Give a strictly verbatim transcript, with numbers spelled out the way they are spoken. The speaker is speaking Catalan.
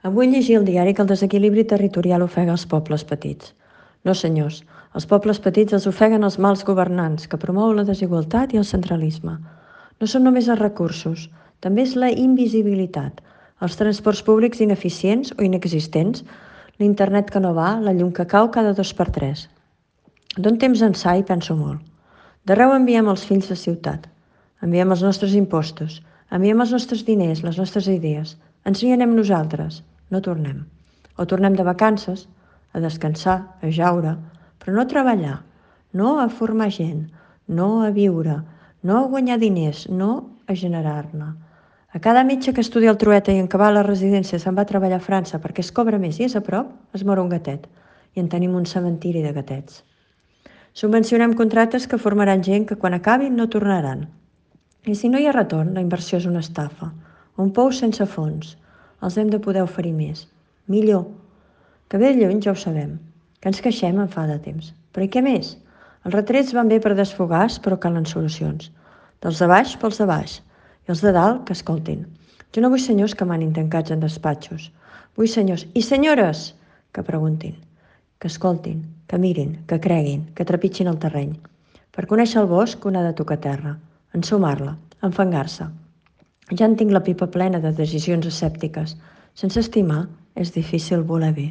Avui llegia al diari que el desequilibri territorial ofega els pobles petits. No, senyors, els pobles petits els ofeguen els mals governants que promouen la desigualtat i el centralisme. No són només els recursos, també és la invisibilitat, els transports públics ineficients o inexistents, l'internet que no va, la llum que cau cada dos per tres. D'un temps ençà hi penso molt. D'arreu enviem els fills de ciutat, enviem els nostres impostos, enviem els nostres diners, les nostres idees. Ens n'hi anem nosaltres, no tornem. O tornem de vacances, a descansar, a jaure, però no a treballar, no a formar gent, no a viure, no a guanyar diners, no a generar-ne. A cada metge que estudia el Trueta i en acabar la residència se'n va a treballar a França perquè es cobra més i és a prop, es mor un gatet. I en tenim un cementiri de gatets. Subvencionem contractes que formaran gent que quan acabin no tornaran. I si no hi ha retorn, la inversió és una estafa. Un pou sense fons. Els hem de poder oferir més. Millor. Que ve de lluny ja ho sabem. Que ens queixem en fa de temps. Però i què més? Els retrets van bé per desfogars, però calen solucions. Dels de baix pels de baix. I els de dalt que escoltin. Jo no vull senyors que manin tancats en despatxos. Vull senyors i senyores que preguntin, que escoltin, que mirin, que creguin, que trepitgin el terreny. Per conèixer el bosc, un ha de tocar terra, ensumar-la, enfangar-se. Ja en tinc la pipa plena de decisions escèptiques. Sense estimar és difícil voler bé.